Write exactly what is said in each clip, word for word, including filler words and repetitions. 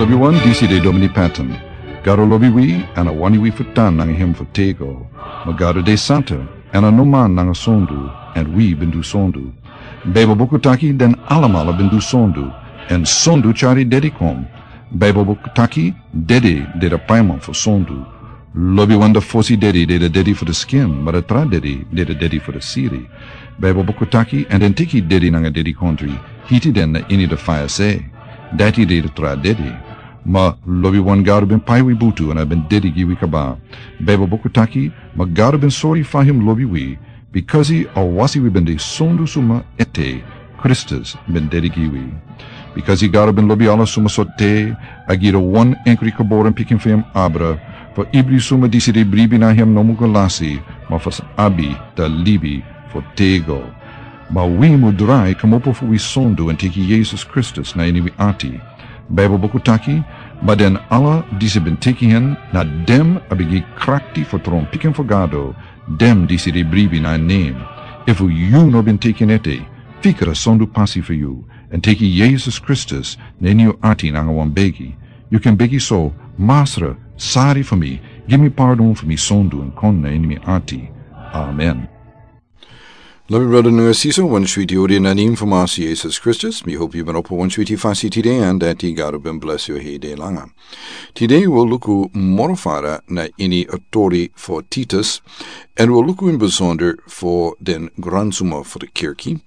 Lobi wan, disi de Domini Patton. Gado lobi wi, èn a wani wi fu tan nanga hem fu tego. Ma Gado de santa, èn a no man nanga sondu, èn wi ben du sondu. Beibel buku taki den alamala ben du sondu, èn sondu tyari dedi kon. Beibel buku taki dedi de a paiman fu sondu. Lobi wan, a fosi dedi de a dedi fu a skin, ma a tra dedi de a dedi fu a siri. Beibel buku taki, èn den teki dedi nanga dedikontri, hiti den na ini a faya se. Dati de a tra dedi. Ma lobi wan, Gado ben pai wi butu èn a ben dedi gi wi kaba. Beibel buku taki, ma Gado ben sori fa hem lobi wi, bikasi a wasi wi ben de sondu suma ete, Kristus ben dedi gi wi. Bikasi Gado ben lobi ala suma sortu, a gi a wan enkri geboren pikin fu hem abra, fu ibri suma disi de bribi na hem no mu go lasi, ma fu sa abi a libi fu tego. Ma wi mu drai kmopo fu wi sondu èn teki Yesus Kristus na ini wi ati. Beibel buku taki, ma den ala disi ben teki hen, na den a ben gi krakti fu tron pikin fu Gado, den disi de bribi na en nen. Efu yu no ben teki en ete, fika a sondu pasi fu yu, èn teki Yesus Kristus na ini yu ati nanga wan begi. Yu kan begi so: Masra, sari fu mi, gi mi pardon fu mi sondu èn kon na ini mi ati. Amen. Lobi brada nanga sisa, wan switi odi na nen fu Masra Yesus Kristus. Mi hopi yu ben opo wan switi fasi tide, èn dati Gado ben blesi yu heri langa. Tide wi o luku moro fara na ini a tori fu Titus, èn wi o luku in bisonder fu den gransuma fu a kerki.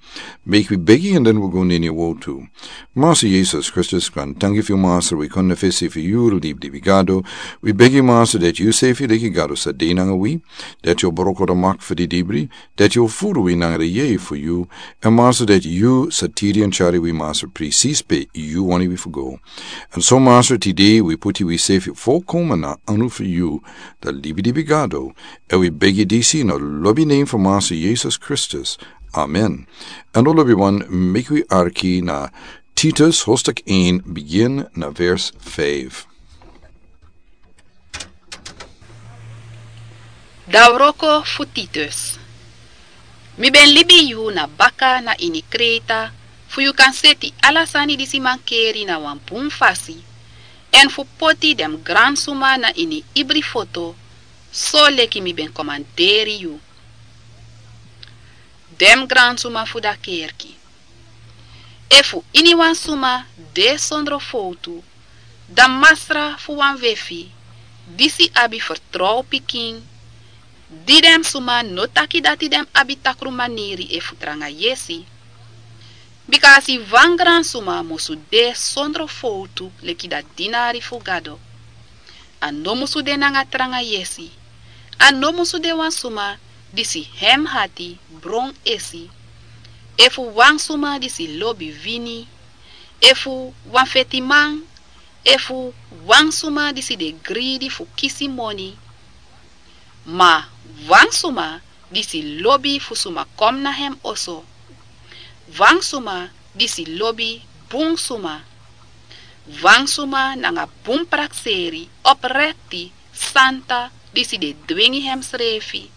Meki wi begi èn den wi o go na ini a wortu. Masra Yesus Kristus, wi e danki fu yu, Masra, wi kon na fesi fu yu, libalibi Gado. Wi begi, Masra, dati yu sefi leki Gado sa de nanga wi, dati yu o broko a mak fu a didibri, dati yu o furu wi nanga a yeye fu yu, èn Masra, dati yu sa tiri èn tyari wi, Masra, presis pe yu wani wi fu go. Èn so, Masra, tide wi puti wi sefi folkomen na anu fu yu, a libalibi Gado, èn wi begi disi na a lobi nen fu Masra Yesus Kristus. Amen. Èn lobi wan, meki wi arki na Titus hoofdstuk een, begin na vers vijf. A wroko fu Titus. Mi ben libi yu na baka na ini Kreta, fu yu kan seti ala sani disi mankeri na wan bun fasi, èn fu poti den gransuma na ini ibri foto, soleki mi ben komanderi yu. Den gransuma fu a kerki. Efu iniwan suma de sondro fowtu, dan masra fu wan wefi, disi abi fertrow pikin, di den suma no taki dati den abi takru maniri efu tranga yesi. Bika a si wan gransuma musu de sondro fowtu leki a dinari fu Gado. A no musu de nanga tranga yesi. A no musu de wan suma disi hem hati bron esi, efu wan suma disi lobi wini, efu wan fetiman, efu wan suma disi de gridi fu kisi moni. Ma wan suma disi lobi fu suma kon na hem oso. Wan suma disi lobi bun suma. Wan suma nanga bun prakseri, oprekti, santa, disi de dwingi hemsrefi.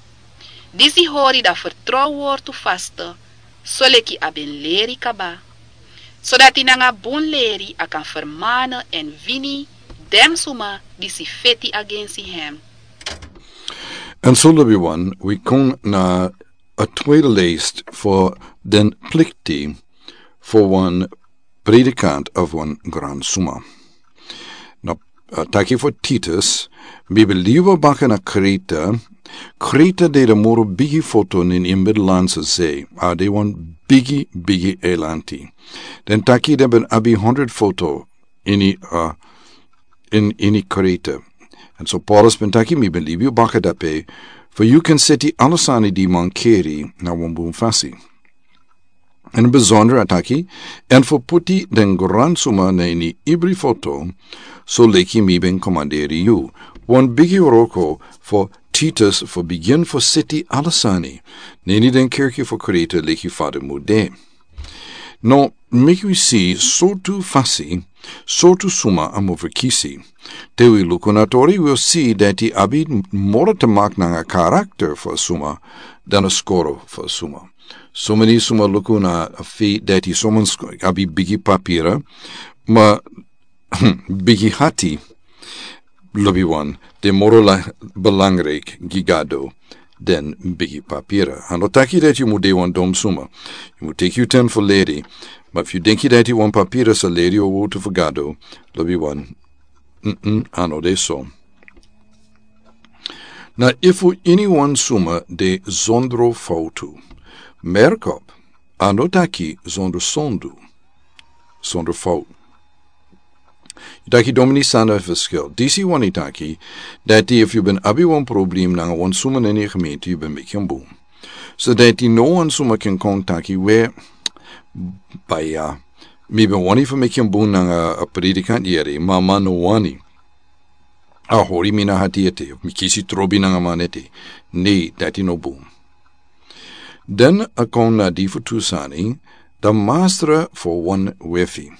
Disi hori a fertrow wortu faste, soleki a ben leri kaba. Sodati nanga bun leri a kan fermane èn wini den suma disi feti agensi hem. Èn so, lobi wan, wi kon na a tweede lijst fu den plikti fu wan predikant of wan gransuma. Na, a taki fu Titus, mi ben libi baka na Kreta. Kreta de a moro bigi foto na ini Middellandse Zee. A de wan bigi, bigi eilanti. Den taki den ben abi honderd foto ini, a, in, ini Kreta. Èn so Paulus ben taki, mi ben libi baka dape, fu yu kan seti ala sani di mankeri na wan bun fasi. Èn bisonder a taki, èn fu puti den gransuma na ini ibri foto, soleki mi ben komanderi yu. Wan bigi wroko fu Titus fu bigin fu seti ala sani na ini den kerki fu Kreta leki fa den mu de. No, meki wi si sortu fasi, sortu suma a mu ferkisi. Te wi luku na tori, wi o si dati abi moro te mak nanga karakter fu a suma, dan a skoro fu a suma. Someni suma luku na a feit dati somen sk-, abi bigi papira, ma Bigi hati, lobi wan, de moro la belangrijk gi Gado den bigi papira. A no taki dati yu mu de wan dom suma. Yu mu teki yu ten fu leri. Ma fu yu denki dati wan papira sa leri yu a wotu fu Gado, lobi wan, mm, a no de so. Na efu ini wan suma de zondro fautu. Merkop, a no taki zondro sondu. Zondro fautu. Yu taki domini sanda verschil. Disi wani taki, dati efu yu ben abi wan problem nanga wan suma na ini gemeente yu ben meki en bun. So dati no wan suma ken kon taki we, baya, mi ben wani fu meki en bun nanga a predikant yere, ma a man no wani. A hori mi na hati ete, mi kisi trobi nanga man ete. Ne, dati no bun. Den a kon na di fu tu sani, dan mastra fu wan wefi.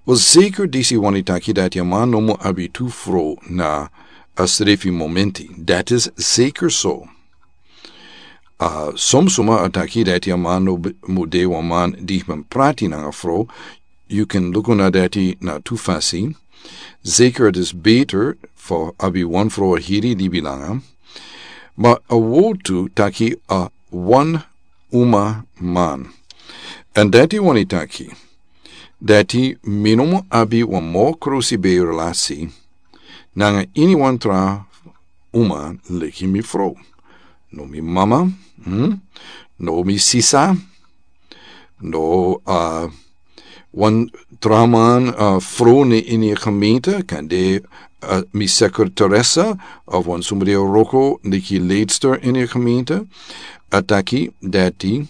Wel, zeker disi wani taki dati a man no mu abi tu fro na a srefi momenti. Dat is zeker so. A, som suma a taki dati a man no b-, mu de wan man di ben prati nanga fro, yu ken luku na dati na tu fasi. Zeker het is beter fu abi wan fro a hiri di bilanga. Ma a wotu taki a wan uma man. En dati wani taki, dati mi no mu abi wan mo krusi be relasi nanga ini wan tra uma leki mi fro. No mi mama, hmm? No mi sisa, no, a, wan tra man, a, fro na ini a gemeente, kan de, a, mi secretaressa, of wan suma di a wroko, leki leidster ini a gemeente, a taki dati,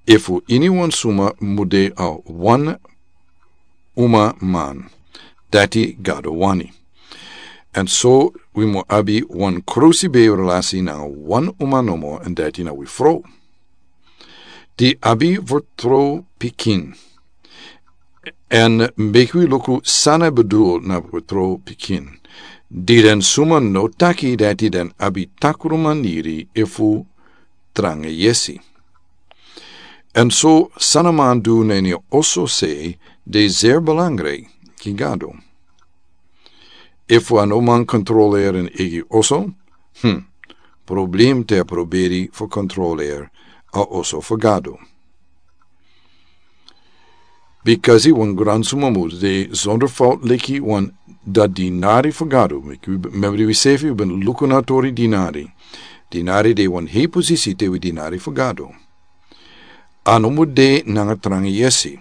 efu ini wan suma mu de a wan uma man, dati Gado wani. En so wi mu abi wan krusi be relasi nanga wan uma nomo, en dati na wi fro. Di abi vertrouw pikin. En meki wi luku san a bedoel na vertrouw pikin. Di den suma no taki dati den abi takru maniri efu tranga yesi. En so san a man du na ini a oso sei, de zeer belangrijk gi Gado. Efu a no man kontroleri en eigi oso, hmm, problem te a proberi fu kontroleri a oso fu Gado. Bikasi wan gran suma mu de zonder fout leki wan da dinari fu Gado. Memri wi sefi ben luku na tori dinari. Dinari de wan hei posisi te wi dinari fu Gado. A no mu de nanga tranga yesi.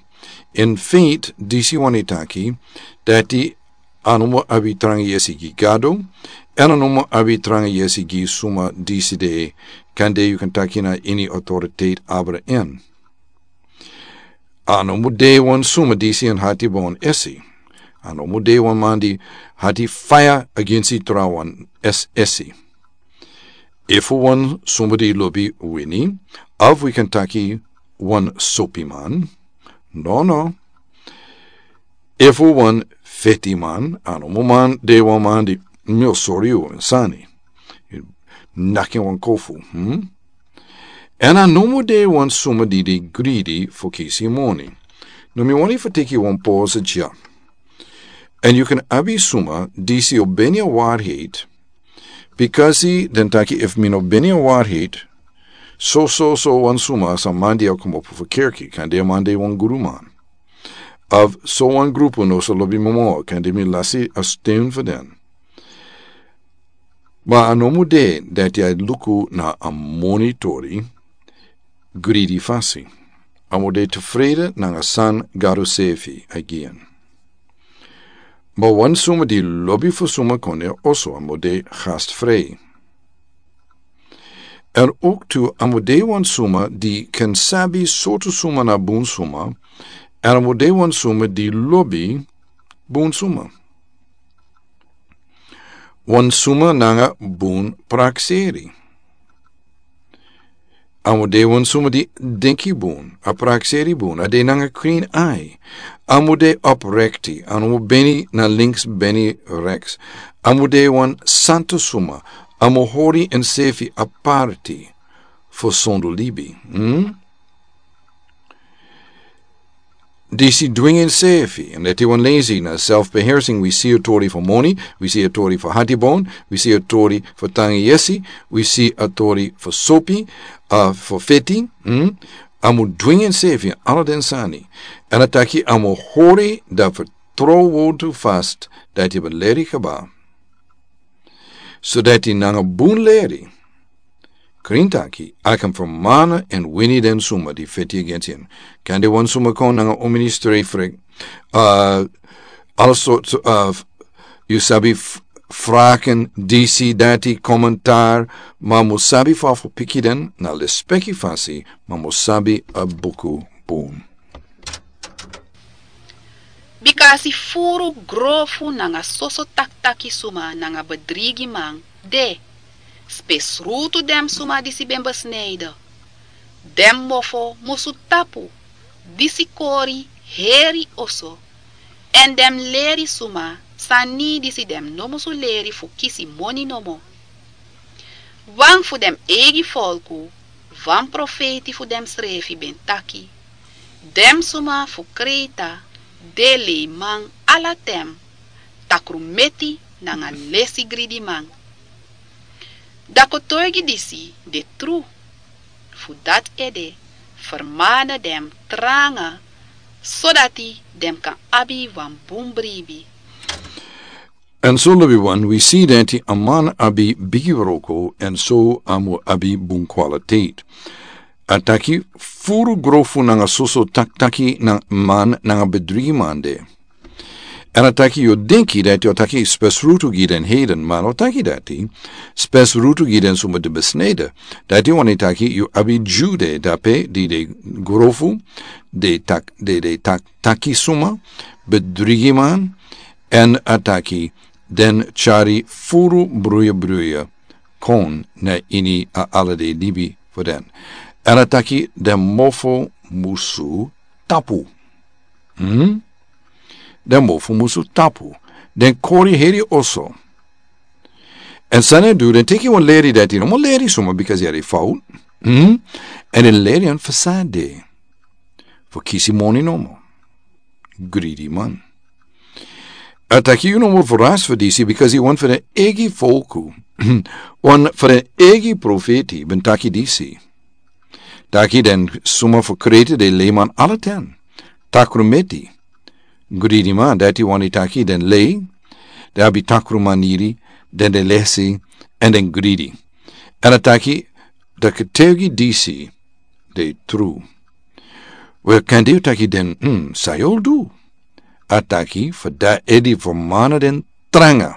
In feite, disi wani taki, dati a no mu abi tranga yesi gi Gado, en a no mu abi tranga yesi gi suma disi de, kan de yu kan taki na ini autoriteit abra en. A no mu de wan suma disi en hati bon esi. A no mu de wan man di hati faya agensi tra wan es esi. Efu wan suma di lobi wini, of wi kan taki wan sopiman. No, no. Efu wan fetiman, a no mu man de wan man di mi o sori yu wan sani. Naki wan kofu, hmm? En a no mu de wan suma di de greedy fu kisi moni. No mi wani fu teki wan pause dya. En yu kan abi suma disi o beni a waarheid. Bikasi den taki efu mi no beni a waarheid, so, so, so wan suma sa man di a komopo fu kerki, kan de a man de wan guruman. Of so wan grupu no sa lobi mi mo, kan de mi lasi a sten fu den. Ma a no mu de dati a luku na a moni tori, greedy fasi. A mu de tefrede nanga san Gado sefi a gi en. Ma wan suma di lobi fu suma kon na oso a mu de gastvrij. En ook tu a mu de wan suma di kan sabi sortu suma na bun suma, en a mu de wan suma di lobi bun suma. Wan suma nanga bun prakseri. A mu de wan suma di denki bun, a prakseri bun, a de nanga clean eye. A mu de oprekti, a no mu beni na links beni reks. A mu de wan santu suma, a mu hori ensefi aparti fu sondu libi. Hmm? Disi dwingi ensefi, en leti wan lezi na self-beheersing, wi si a tori fu moni, wi si a tori fu hatibon, wi si a tori fu tangi yesi, wi si a tori fu sopi, a fu feti. Hmm? A mu dwingi ensefi ala den sani. En a taki a mu hori dati fu tron wotu fast dati a ben leri kaba. So dati nanga bun leri krin taki a kan fermana en wini den suma di feti agensi en. Kan de wan suma kon nanga un ministri frik, uh, all sorts of, yu sabi, f- fraken disi dati komentar, ma mu sabi fa fu piki den na lespeki fasi, ma mu sabi a buku bun. Bika a si furu grofu nanga soso taktaki suma nanga bedrigiman de, spesrutu den suma disi ben besnijden. Den mofo musu tapu disi kori heri oso, en den leri suma sani disi den no musu leri fu kisi moni nomo. Wan fu den eigi folku, wan profeiti fu den srefi ben taki: den suma fu Kreta de leiman ala ten, takrumeti nanga lesi gridiman. Dan kotoigi disi de tru. Fu dati ede fermana den tranga, sodati den kan abi wan bun bribi. En so, lobi wan, wi si dati a man abi bigi wroko, en so a mu abi bun kwaliteit. A taki furu grofu nanga soso taktaki na man nanga bedrigiman de. En a taki yu o denki dati yu o taki spesrutu gi den heiden, ma a no taki dati. Spesrutu gi den suma di besnijden. Dati wani taki yu abi Dyu de drape di de grofu, de tak, de, de tak, taki suma, bedrigiman, en a taki den tyari furu bruya bruya kon na ini a ala den libi fu den. En a taki den mofo musu tapu. Hmm? Den mofo musu tapu. Den kori heri oso. En san den du, den teki wan leri dati no mu leri suma, bika a de fout. Hmm? En den leri en fu san a de. Fu kisi moni nomo. Gridiman. A taki yu no mu ferasi fu disi, bika yu wan fu den eigi folku, wan fu den eigi profeti ben taki disi. Taki den suma fu Kreta de leiman ala ten, takrumeti, gridiman. Dati wani taki den lei, den abi takrumaniri, den de lesi, en den gridi. En a taki den kotoigi disi de tru. Wel, kan de yu taki den, hmm, san yu o du? A taki fu dati ede fermana den tranga,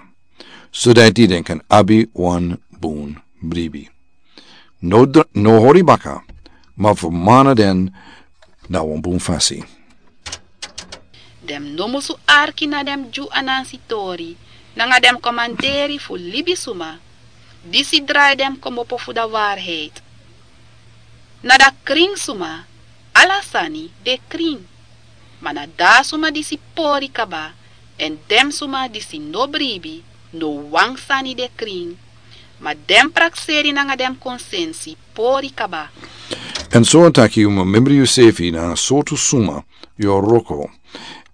sodati den kan abi wan bun bribi. No dr-, no hori baka, ma fermana den na wan bun fasi. Den no musu arki na den Dyu Anansi tori, nanga den komanderi fu libisuma disi drai den kmopo fu a waarheid. Na a krin suma ala sani de krin. Ma na a suma disi pori kaba, en den suma disi no bribi, no wan sani de krin. Ma den prakseri nanga den konsensi pori kaba. En so a taki yu mu memri yusefi na sortu suma yu o wroko.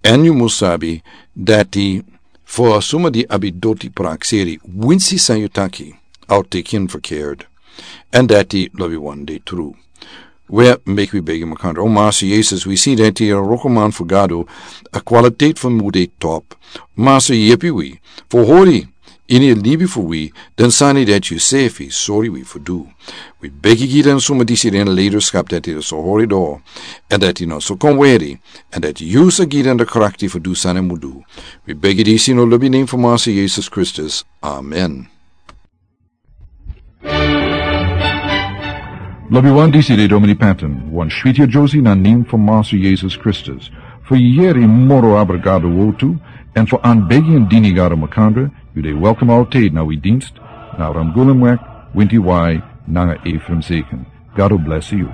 En yu mu sabi dati fu a suma di abi doti prakseri, winsi san yu taki, a o teki en verkeerd. En dati, lobi wan, de tru. Wel, meki wi begi makandra. O Master Jesus, wi si dati a wrokoman fu Gado, a kwaliteit fu en mu de top. Master, yepi wi fu hori ini a libi fu wi den sani dati yusefi sori wi fu du. Wi begi gi den suma disi den leiderschap dati den sa hori doro, en dati den no sa kon weri, en dati yu sa gi den a krakti fu du san den mu du. Wi begi disi ini a lobi nen fu Master Jesus Kristus. Amen. Lobi wan, disi de Domini Patton, wan switi a Josie na nen fu Master Jesus Kristus. Fu yeri moro abra Gado wortu, en fu anbegi en dini Gado makandra, yu de welkom altijd na wi dienst, na Ramgulumweg, Winti Wai, nanga Ephraim Zeken. Gado bless yu.